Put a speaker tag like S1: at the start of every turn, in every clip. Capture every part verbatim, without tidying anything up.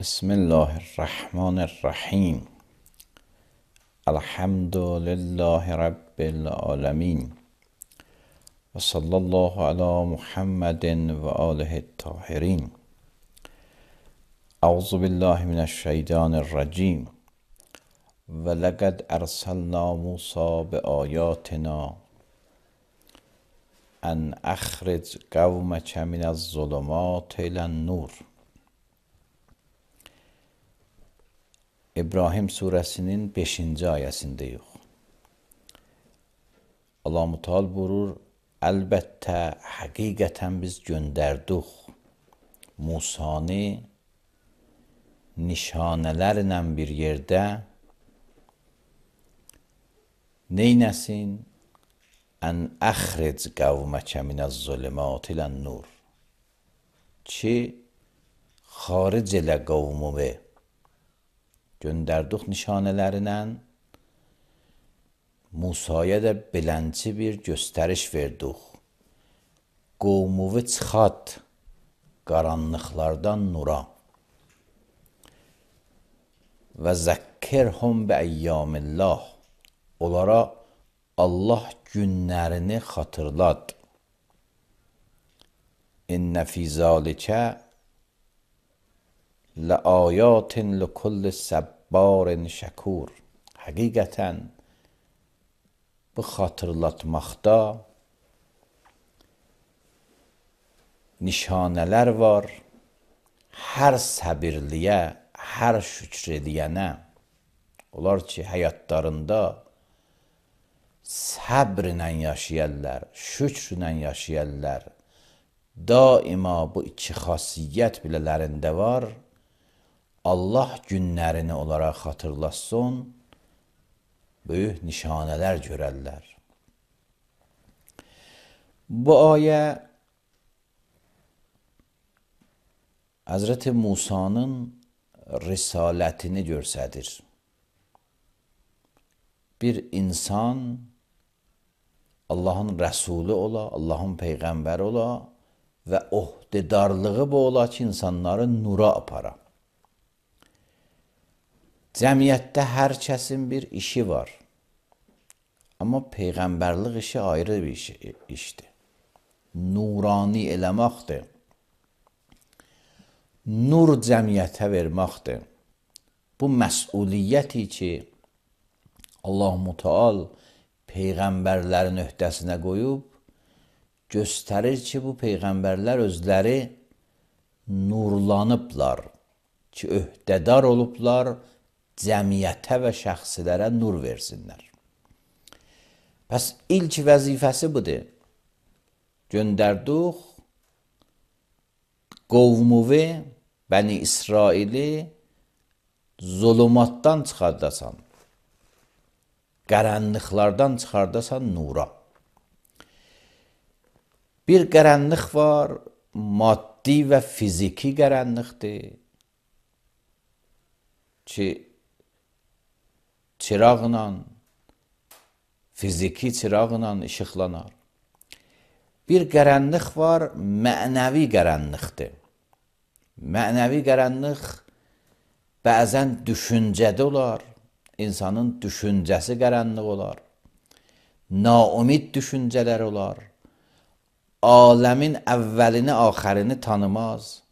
S1: بسم الله الرحمن الرحیم. الحمد لله رب العالمین و صلی الله علی محمد و آله الطاهرین. اعوذ بالله من الشیطان الرجیم. ولقد ارسلنا موسی بآیاتنا ان اخرج قومک من الظلمات الی النور. İbrahim suresinin beşinci ayəsindeyiz. Allah-u Teala buyurur, əlbəttə, həqiqətən biz göndərdik Musanı nişanələrlə bir yerdə neynəsin? Ən əxric qavməkə minəz-zülümat ilən-nur. Ki, xaric elə qavmumu göndərdik nişanələrlə. Musaya da belənci bir göstəriş verdik. Qovmuvu çıxart qaranlıqlardan nura. Və zəkkirhum bi əyyamillah. Onlara Allah günlərini xatırlat. İnnə fî zâlikə لآیات لکل صبار şəkur. Həqiqətən bu xatırlatmaqda nişanələr var. Hər səbirliyə, hər şükr ediyənə. Onlar ki, həyatlarında səbrlə yaşayarlar, şükrlə yaşayarlar. Daima bu iki xasiyyət bilələrində var. Allah günlərini onlara xatırlatsın, böyük nişanələr görərlər. Bu ayə Həzrəti Musanın risalətini göstərir. Bir insan Allahın rəsulü ola, Allahın peyğəmbəri ola və ohdedarlığı bu ola ki, insanları nura apara. Cəmiyyətdə hər kəsin bir işi var. Amma peyğəmbərlik işi ayrı bir işdir. Nurani eləməkdir. Nur cəmiyyətə verməkdir. Bu məsuliyyəti ki, Allah-u Teala peyğəmbərlərin öhdəsinə qoyub, göstərir ki, bu peyğəmbərlər özləri nurlanıblar, ki, öhdədar olublar, cəmiyyətə və şəxsilərə nur versinlər. Bəs ilk vəzifəsi budur. Göndərdik qovmuvi, Bəni İsraili zulümatdan çıxardasan, qaranlıqlardan çıxardasan nura. Bir qaranlıq var, maddi və fiziki qaranlıqdır ki, çıraqla, fiziki çıraqla işıqlanar. Bir qaranlıq var, mənəvi qaranlıqdır. Mənəvi qaranlıq bəzən düşüncədə olar, insanın düşüncəsi qaranlıq olar, naumid düşüncələr olar, aləmin əvvəlini, axərini tanımaz,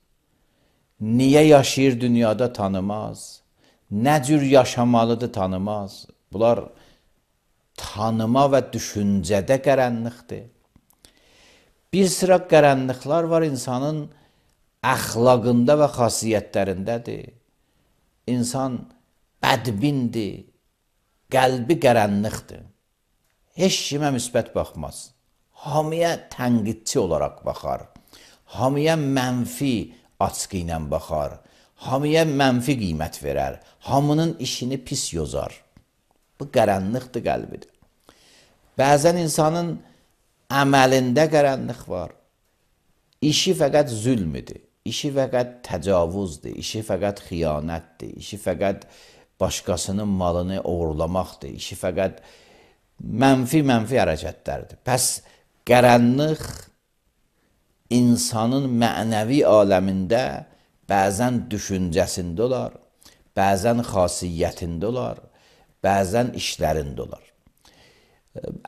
S1: niyə yaşayır dünyada tanımaz, nə cür yaşamalıdır tanımaz. Bunlar tanıma və düşüncədə qaranlıqdır. Bir sıra qaranlıqlar var insanın əxlaqında və xasiyyətlərindədir. İnsan bədbindir, qəlbi qaranlıqdır. Heç kimə müsbət baxmaz. Hamıya tənqidçi olaraq baxar. Hamıya mənfi açqı ilə baxar. Hamıya mənfi qiymət verər. Hamının işini pis yozar. Bu qaranlıqdır qəlbidir. Bəzən insanın əməlində qaranlıq var. İşi fəqət zülmüdür. İşi fəqət təcavüzdür. İşi fəqət xiyanətdir. İşi fəqət başqasının malını oğurlamaqdır. İşi fəqət mənfi-mənfi hərəkətlərdir. Pəs qaranlıq insanın mənəvi aləmində bəzən düşüncəsində olar, bəzən xasiyyətində olar, bəzən işlərində olar.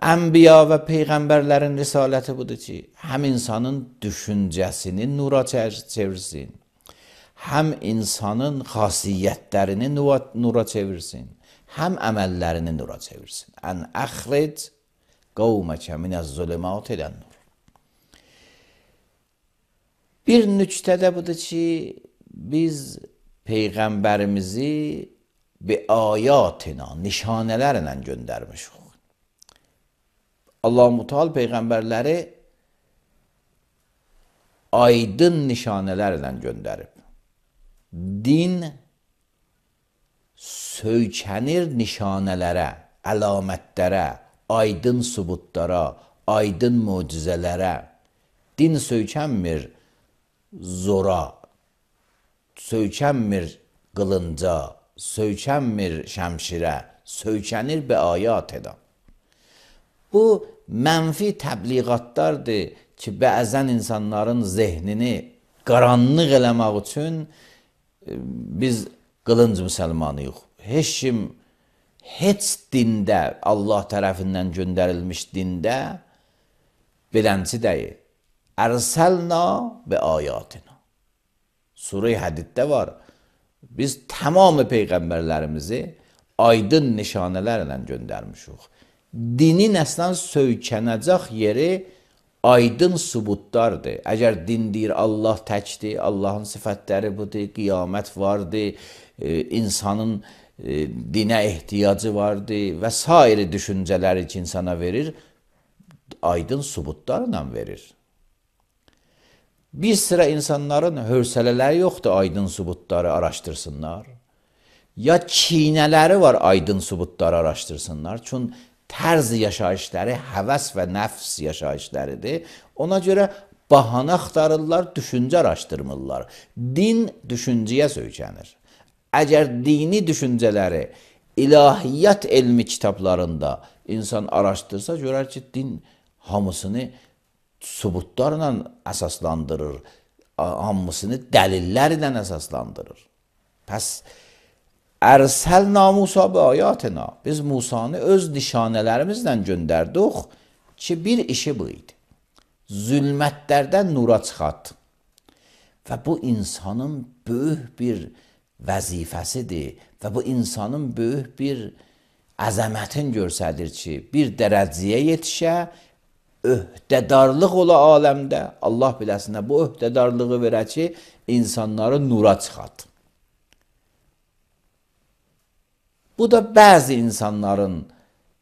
S1: Ənbiya və peyğəmbərlərin risaləti budur ki, həm insanın düşüncəsini nura çevirsin, həm insanın xasiyyətlərini nura çevirsin, həm əməllərini nura çevirsin. Ən əxric qavməkə minəz-zülümat ilən-nur. Bir nüktə də budur ki, biz peyğəmbərimizi bi ayatina, nişanələrlə göndərmişik. Allah-u Teala peyğəmbərləri aydın nişanələrlə göndərib. Din söykənir nişanələrə, əlamətlərə, aydın sübutlara, aydın möcüzələrə. Din söykənmir zora, söykənmir qılınca, söykənmir şəmşirə, söykənir bi ayatina. Bu mənfi təbliğatlardır ki, bəzən insanların zehnini qaranlıq eləmək üçün biz qılınc müsəlmanıyıq. Heç kim, heç dində, Allah tərəfindən göndərilmiş dində bilənçi deyil. Ərsəlna və ayatina. Surə-i Hədiddə var. Biz tamamı peyğəmbərlərimizi aydın nişanələrlə göndərmişik. Dinin əslən söykənəcək yeri aydın sübutlardır. Əgər din deyir Allah təkdir, Allahın sifətləri budur, qiyamət vardır, e, insanın e, dinə ehtiyacı vardır və sair düşüncələri ki, insana verir, aydın sübutlarla verir. Bir sıra insanların hövsələləri yoxdur aydın sübutları araşdırsınlar. Ya çiynələri var aydın sübutları araşdırsınlar. Çünki tərz yaşayışları həvəs və nəfs yaşayışlarıdır. Ona görə bahanə axtarırlar, düşüncə araşdırmırlar. Din düşüncəyə söykənir. Əgər dini düşüncələri ilahiyyat elmi kitablarında insan araşdırsa, görər ki, din hamısını sübutlarla əsaslandırır, hamısını dəlillərlə əsaslandırır. Pəs Ərsəlna Musa bi ayatina. Biz Musanı öz nişanələrimizlə göndərdik ki, bir işi bu idi. Zülmətlərdən nura çıxart. Və bu insanın böyük bir vəzifəsidir və bu insanın böyük bir əzəmətin görsədir ki, bir dərəcəyə yetişə, öhdədarlıq ola aləmdə, Allah biləsinə bu öhdədarlığı verə ki, insanları nura çıxart. Bu da bəzi insanların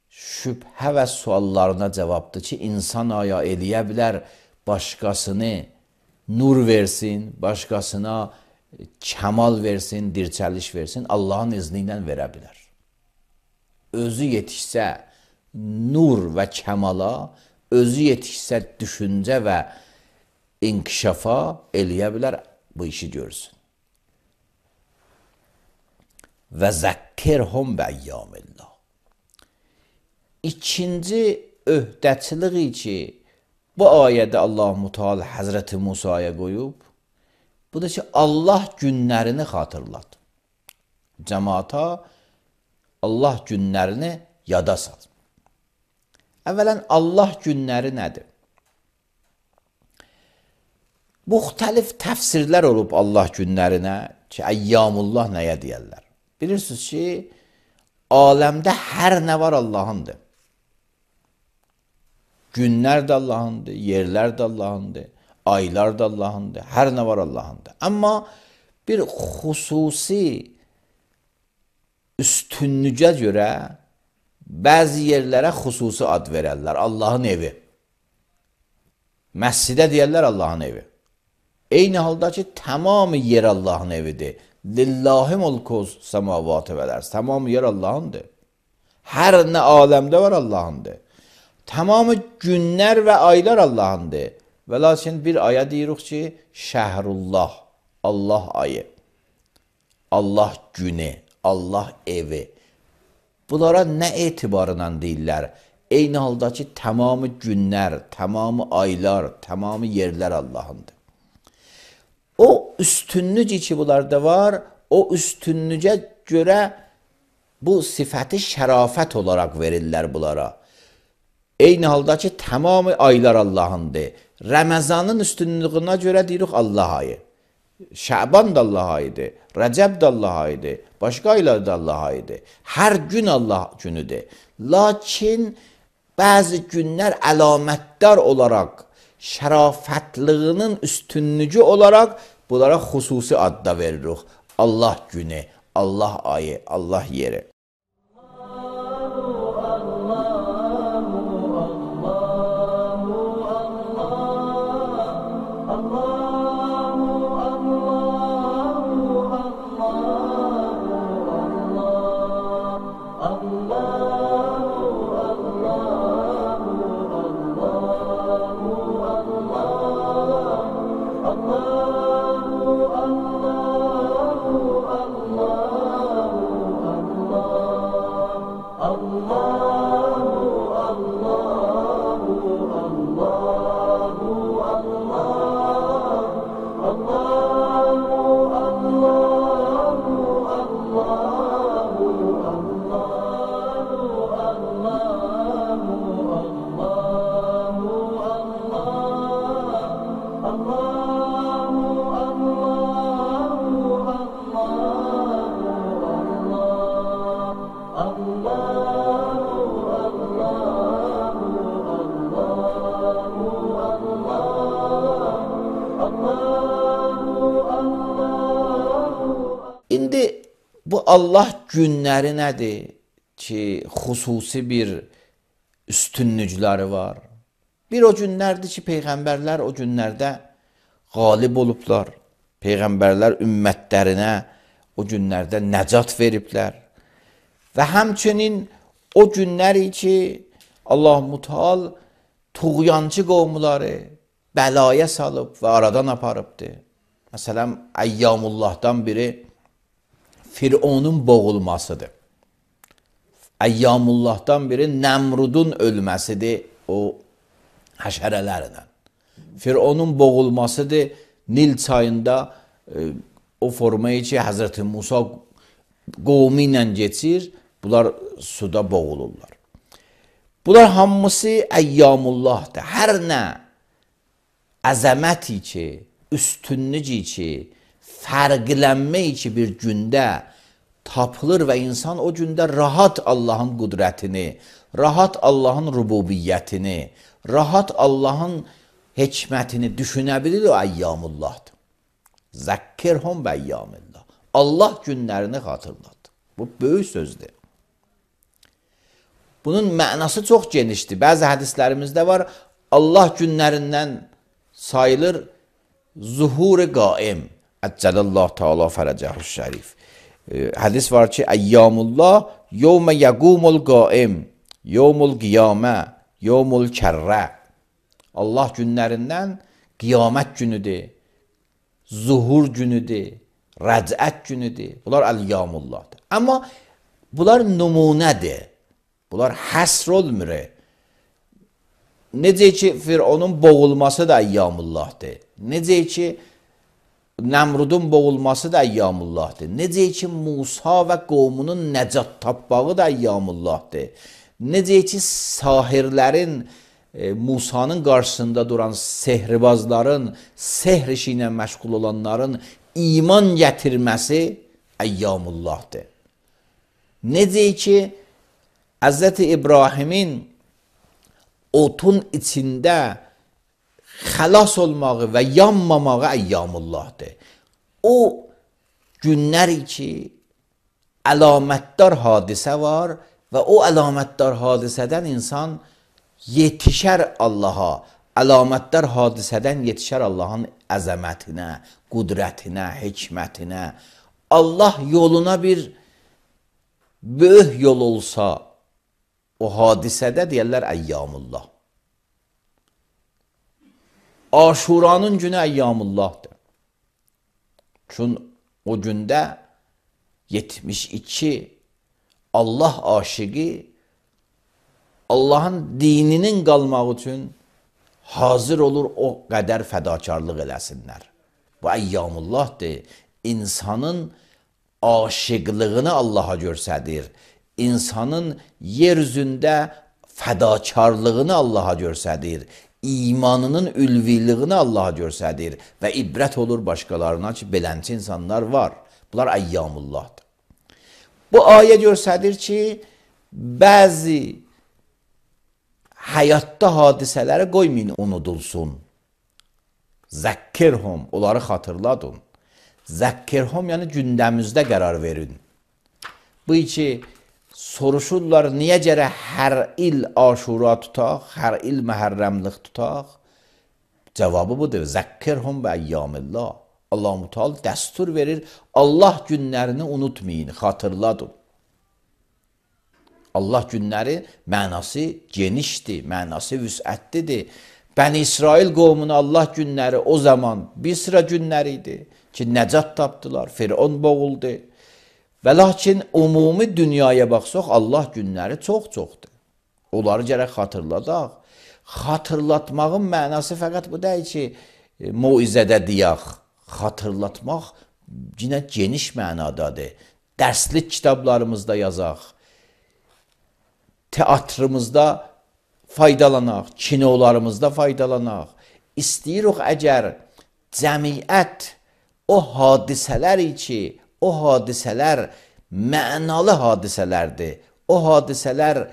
S1: şübhə və suallarına cavabdır ki, insan aya eləyə bilər, başqasını nur versin, başqasına kəmal versin, dirçəliş versin, Allahın izni ilə verə bilər. Özü yetişsə nur və kəmala, özü yetişsə düşüncə və inkişafa eləyə bilər, bu işi görsün. Və zəkkirhum bəyyamillah. İkinci öhdəçiliği ki, bu ayədə Allah-u Teala Həzrəti Musaya qoyub, bu da ki, Allah günlərini xatırlat. Cəmaata Allah günlərini yada sal. Əvvələn, Allah günləri nədir? Müxtəlif təfsirlər olub Allah günlərinə ki, əyyamullah nəyə deyərlər? Bilirsiniz ki, aləmdə hər nə var Allahındır. Günlər də Allahındır, yerlər də Allahındır, aylar da Allahındır, hər nə var Allahındır. Amma bir xüsusi üstünlüyə görə bəzi yerlərə xüsusi ad verərlər, Allahın evi. Məscidə deyərlər Allahın evi. Eyni halda ki, tamamı yer Allahın evidir. Lillahi mulkuz semavatı vələrz. Tamamı yer Allahındır. Hər nə aləmdə var Allahındır. Tamamı günlər və aylar Allahındır. Və lakin bir aya deyirik ki, şəhrullah, Allah ayı, Allah günü, Allah evi. Bunlara nə etibarla deyirlər? Eyni halda ki, tamamı günlər, tamamı aylar, tamamı yerlər Allahındır. O üstünlük ki bunlarda var, o üstünlüğe göre bu sifəti şərafət olaraq verirlər bunlara. Eyni halda ki, tamamı aylar Allahındır. Ramazanın üstünlüğünə görə deyirik Allah ayı. Şaban da Allah ayıdır. Rəcəb də Allah ayıdır. Başqa aylar da Allah ayıdır. Hər gün Allah günüdür. Lakin bəzi günlər əlamətdar olaraq, şərafətliyinin üstünlüğü olaraq bunlara xüsusi adda veririk. Allah günü, Allah ayı, Allah yeri. İndi bu Allah günləri nədir ki, xüsusi bir üstünlükləri var. Bir o günlərdir ki, Peyğəmbərlər o günlərdə qalib olublar. Peyğəmbərlər ümmətlərinə o günlərdə nəcat veriblər. Və həmçinin o günləri ki, Allah-u Teala tuğyancı qovmuları bəlaya salıb və aradan aparıbdır. Məsələn, Əyyamullahdan biri Fironun boğulmasıdır. Əyyamullahdan biri Nəmrudun ölməsidir o həşərələrlə. Fironun boğulmasıdır Nil çayında e, o formayı ki, Həzrəti Musa qovmu ilə geçir, bunlar suda boğulurlar. Bunlar hamısı Əyyamullahdır. Hər nə əzəmət ki, üstünlük ki, fərqlənmək ki bir gündə tapılır və insan o gündə rahat Allahın qüdrətini, rahat Allahın rububiyyətini, rahat Allahın hikmətini düşünə bilir o Əyyamullahdır. Zəkkirhum və əyyamillah. Allah günlərini xatırlat. Bu böyük sözdür. Bunun mənası çox genişdir. Bəzi hədislərimizdə var, Allah günlərindən sayılır zuhur-i qaim. Əccəlallah Teala fərəcəhü şərif. E, hədis var ki, Əyyamullah yevmə yəqumul qaim, yevmul qiyamə, yevmul kərrə. Allah günlərindən qiyamət günüdür, zuhur günüdür, rəcət günüdür. Bunlar Əlyamullahdır. Amma bunlar nümunədir. Bunlar həsr olmur. Necə ki, Fironun boğulması da Əyyamullahdır. Necə ki, Nəmrudun boğulması da Əyyamullahdır. Necə ki, Musa və qovmunun nəcat tapbağı da Əyyamullahdır. Necə ki, sahirlərin, e, Musanın qarşısında duran sehribazların, sehr işi ilə məşğul olanların iman gətirməsi Əyyamullahdır. Necə ki, Həzrəti İbrahimin otun içində xəlas olmağı və yanmamağı Əyyamullahdır. O günlər ki, əlamətdar hadisə var və o əlamətdar hadisədən insan yetişər Allaha, əlamətdar hadisədən yetişər Allahın əzəmətinə, qüdrətinə, hikmətinə. Allah yoluna bir böyük yol olsa, o hadisədə deyərlər Əyyamullah. Aşuranın günü Əyyamullahdır. Çünki o gündə yetmiş iki Allah aşıqı Allahın dininin qalmaq üçün hazır olur o qədər fədakarlıq eləsinlər. Bu əyyamullahdır. İnsanın aşıqlığını Allaha göstərir. İnsanın yer üzündə fədakarlığını Allaha göstərir. İmanının ülviliyini Allaha göstərir. Və ibrət olur başqalarına ki, belənçi insanlar var. Bunlar əyyamullahdır. Bu ayə göstərir ki, bəzi həyatda hadisələri qoymayın, unudulsun. Zəkkirhum, onları xatırladın. Zəkkirhum, yəni gündəmizdə qərar verin. Bu ki, soruşurlar, niyə gərək hər il aşura tutaq, hər il məhərrəmlik tutaq? Cavabı budur, zəkkirhum və əyyamillah. Allah-u Teala dəstur verir, Allah günlərini unutmayın, xatırladın. Allah günləri mənası genişdir, mənası vüsətlidir. Bəni İsrail qovmuna Allah günləri o zaman bir sıra günləri idi ki, nəcat tapdılar, Firon boğuldu. Və lakin umumi dünyaya baxsaq, Allah günləri çox-çoxdur. Onları gərək xatırladaq. Xatırlatmağın mənası fəqət bu deyil ki, muizədə deyək. Xatırlatmaq yine geniş mənadadır. Dərslik kitablarımızda yazaq. Teatrımızda faydalanaq, kinolarımızda faydalanaq. İstəyirik əgər cəmiyyət o hadisələr ki, o hadisələr mənalı hadisələrdir. O hadisələr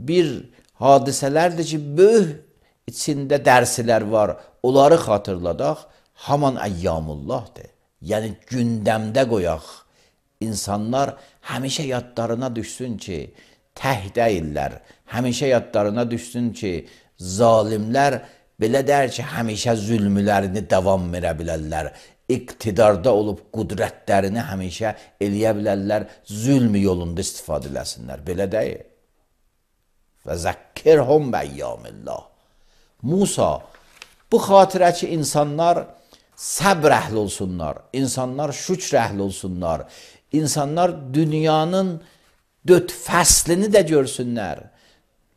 S1: bir hadisələrdir ki, böyük içində dərslər var. Onları xatırladaq, haman əyyamullahdır. Yəni gündəmdə qoyaq. İnsanlar həmişə yadlarına düşsün ki, təh deyirlər. Həmişə yadlarına düşsün ki, zalimlər belə dər ki, həmişə zülmlərini davam verə bilərlər. İqtidarda olub qudrətlərini həmişə eləyə bilərlər, zülm yolunda istifadə eləsinlər. Belə deyil. Və zəkkirhum bəyyamillah. Musa, bu xatirə ki, insanlar səbr əhli olsunlar, insanlar şükr əhli olsunlar, insanlar dünyanın dörd fəslini də görsünlər.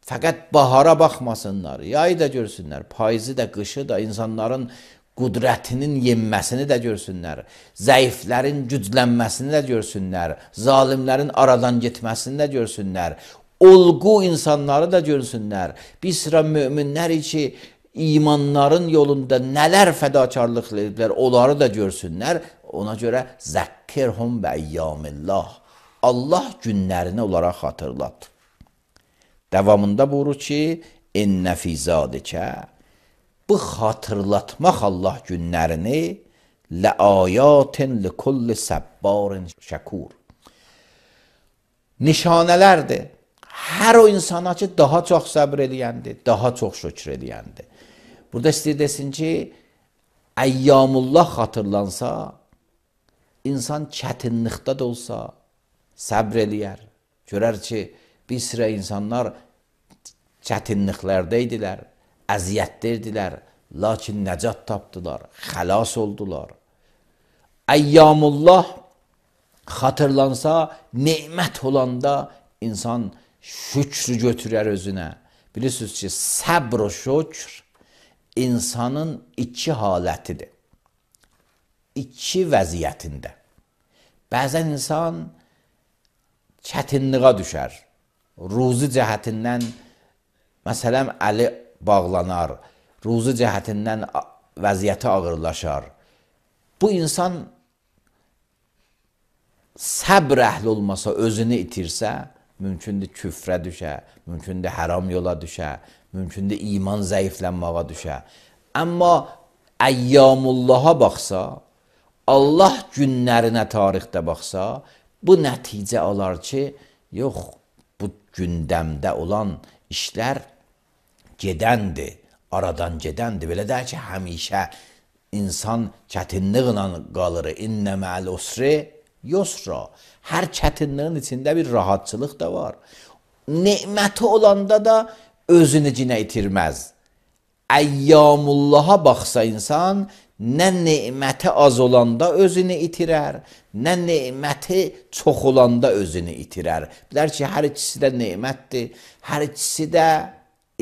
S1: Fəqət bahara baxmasınlar, yayı da görsünlər, payızı da, qışı da, insanların qudrətinin yenməsini də görsünlər, zəiflərin güclənməsini də görsünlər, zalimlərin aradan getməsini də görsünlər, olğu insanları da görsünlər. Bir sıra möminlər ki, imanların yolunda nələr fədakarlıq ediblər, onları da görsünlər. Ona görə zəkkirhum bəyyamillah. Allah günlərini onlara xatırlat. Devamında buyurur ki, ennə fî zâlikə, bu xatırlatmaq Allah günlərini ləayatin likulli səbbarin şəkur. Nişanələrdir. Hər o insana ki, daha çox səbr eləyəndir, daha çox şükür eləyəndir. Burada istəyir desin ki, əyyamullah xatırlansa, insan çətinlikdə də olsa səbr eləyər. Görər ki, bir sıra insanlar çətinliklərdə idilər, əziyyətdə idilər, lakin nəcat tapdılar, xəlas oldular. Əyyamullah xatırlansa, nemət olanda insan şükrü götürər özünə. Bilirsiniz ki, səbr o şükr insanın iki halətidir. İki vəziyyətində. Bəzən insan çətinliğə düşər. Ruzi cəhətindən, məsələn, əli bağlanar, ruzi cəhətindən vəziyyəti ağırlaşar. Bu insan səbr əhli olmasa, özünü itirsə, mümkündür küfrə düşə, mümkündür haram yola düşə, mümkündür iman zəiflənməyə düşə. Amma əyyamullaha baxsa, Allah günlərinə tarixdə baxsa, bu nəticə alar ki, yox, bu gündəmdə olan işlər gedəndir, aradan gedəndir. Belə deyək ki, həmişə insan çətinliklə qalır. İnnə mə'al usri yusra. Hər çətinliyin içində bir rahatçılıq da var. Neməti olanda da özünü cinə itirməz. Əyyamullaha baxsa insan, nə neməti az olanda özünü itirər, nə neməti çox olanda özünü itirər. Bilər ki, hər ikisi də nemətdir, hər ikisi də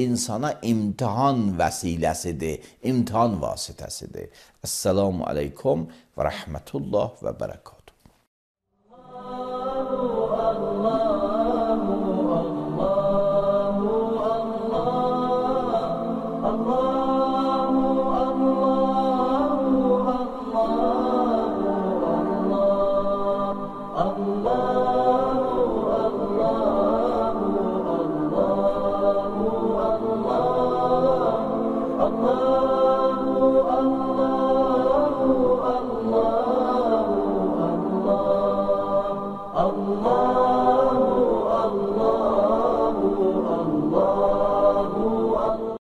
S1: insana imtihan vəsiləsidir, imtihan vasitəsidir. Əssalamu aleykum və rəhmətullah və bərəkət.